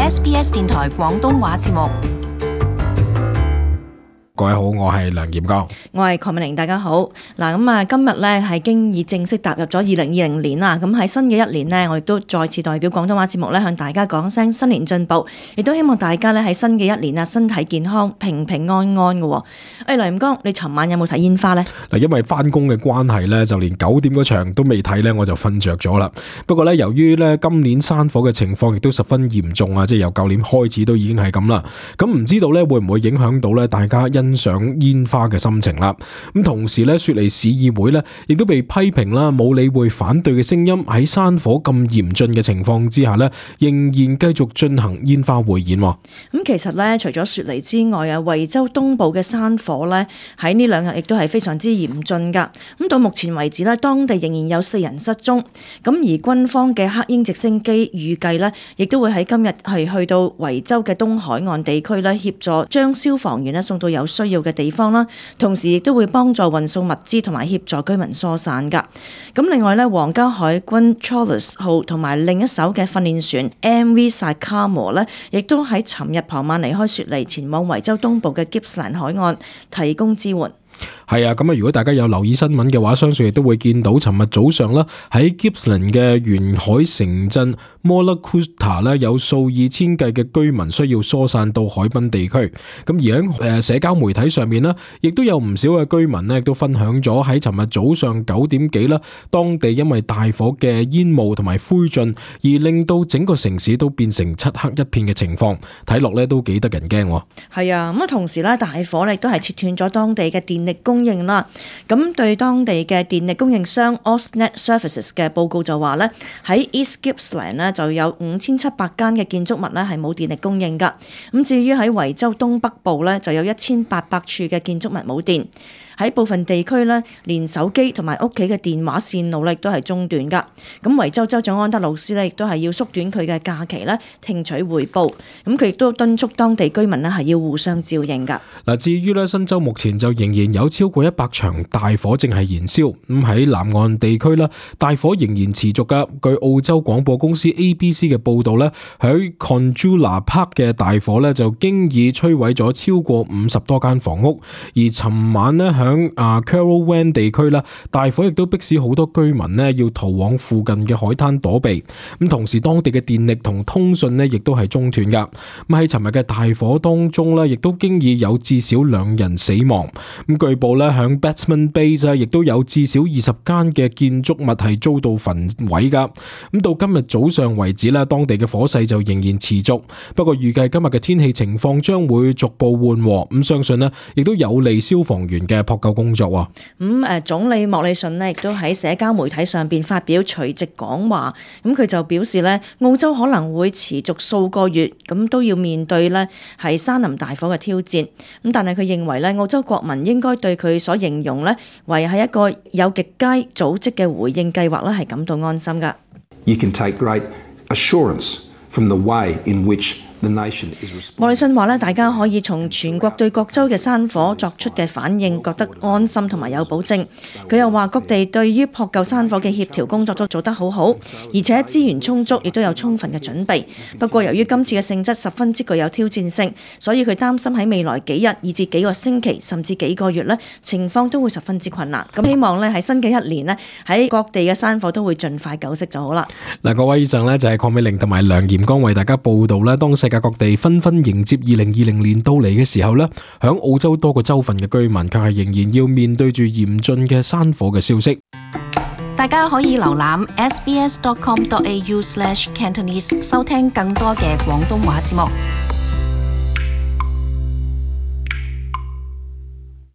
SBS 電台廣東話節目。各位好，我係梁炎剛，我係鄺美玲，大家好。嗱，今日咧係經已正式踏入咗2020年啦。咁喺新嘅一年呢，我亦都再次代表廣東話節目咧向大家講聲新年進步，亦都希望大家咧喺新嘅一年啊身體健康、平平安安嘅。梁炎剛，你尋晚有冇睇煙花呢？嗱，因為翻工嘅關係咧，就連9點嗰場都未睇咧，我就瞓着咗啦。不過咧，由於咧今年山火嘅情況亦都十分嚴重啊，即係由舊年開始都已經係咁啦。咁唔知道咧會唔會影響到咧大家欣賞煙花嘅心情啦？咁同時咧，雪梨市議會咧亦都被批評啦，冇理會反對嘅聲音，喺山火咁嚴峻嘅情況之下咧，仍然繼續進行煙花匯演。咁其實咧，除咗雪梨之外啊，維州東部嘅山火咧喺呢2日亦都係非常之嚴峻噶。咁到目前為止咧，當地仍然有4人失蹤。咁而軍方嘅黑鷹直升機預計咧，亦都會喺今日係去到維州嘅東海岸地區咧，協助將消防員咧送到有需要嘅地方啦，同時亦都會幫助運送物資同埋協助居民疏散噶。咁另外咧，皇家海軍 Charles 號同埋另一艘嘅訓練船 MV Sycamore 咧，亦都喺尋日傍晚離開雪梨，前往維州東部嘅 Gippsland 海岸提供支援。係啊，咁如果大家有留意新聞嘅話，相信亦都會見到尋日早上啦，喺 Gippsland 嘅沿海城鎮 Mollacoota 咧，有數以千計嘅居民需要疏散到海濱地區。咁而喺社交媒體上面呢，亦都有唔少嘅居民呢，亦都分享咗喺尋日早上9點幾啦，當地因為大火嘅煙霧同埋灰燼，而令到整個城市都變成漆黑一片嘅情況，睇落咧都幾得人驚。係啊，咁同時咧，大火咧亦都係切斷咗當地嘅電力供應啦。咁對當地嘅電力供應商 AusNet Services 嘅報告就話咧，喺 East Gippsland 咧就有5700間嘅建築物咧係冇電力供應噶。咁至於喺維州東北部咧就有1800處嘅建築物冇電。喺部分地區咧，連手機同埋屋企嘅電話線路咧亦都係中斷噶。咁維州州長安德魯斯咧亦都係要縮短佢嘅假期咧，聽取彙報。咁佢亦都敦促當地居民咧係要互相照應噶。嗱，至於咧新州目前就仍然有超過100場大火正係燃燒。咁喺南岸地區咧，大火仍然持續噶。據澳洲廣播公司 ABC 嘅報導咧，喺 Conjula Park 嘅大火咧就經已摧毀咗超過50多間房屋。而尋晚咧響Carawan 地區啦，大火亦都迫使好多居民咧要逃往附近嘅海灘躲避。咁同時當地嘅電力同通訊咧亦都係中斷噶。咁喺尋日嘅大火當中咧，亦都經已有至少2人死亡。咁據報咧響 Batsman Bay 亦都有至少20間嘅建築物係遭到焚毀噶。咁到今日早上為止咧，當地嘅火勢就仍然持續。不過預計今日嘅天氣情況將會逐步緩和。咁相信咧亦都有利消防員嘅撲救工作。總理莫里遜呢亦都喺社交媒體上邊發表隨即講話。咁佢就表示咧，澳洲可能會持續數個月咁都要面對咧係山林大火嘅挑戰。咁但係佢認為咧，澳洲國民應該對佢所形容咧為係一個有極佳組織嘅回應計劃咧係感到安心㗎。You can take great assurance from the way in which莫里遜話咧，大家可以從全國對各州嘅山火作出嘅反應覺得安心同埋有保證。佢又話各地對於撲救山火嘅協調工作都做得好好，而且資源充足，亦都有充分嘅準備。不過由於今次嘅性質十分之具有挑戰性，所以佢擔心喺未來幾日以至幾個星期甚至幾個月咧，情況都會十分之困難。咁希望咧喺新嘅一年咧，喺各地嘅山火都會盡快救熄就好啦。嗱，各位以上咧就係鄺美玲同埋梁炎剛為大家報道啦。當世界各地紛紛迎接2020年到嚟嘅時候呢，響澳洲多個州份嘅居民卻係仍然要面對住嚴峻嘅山火嘅消息。大家可以瀏覽 sbs.com.au/Cantonese 收聽更多嘅廣東話節目。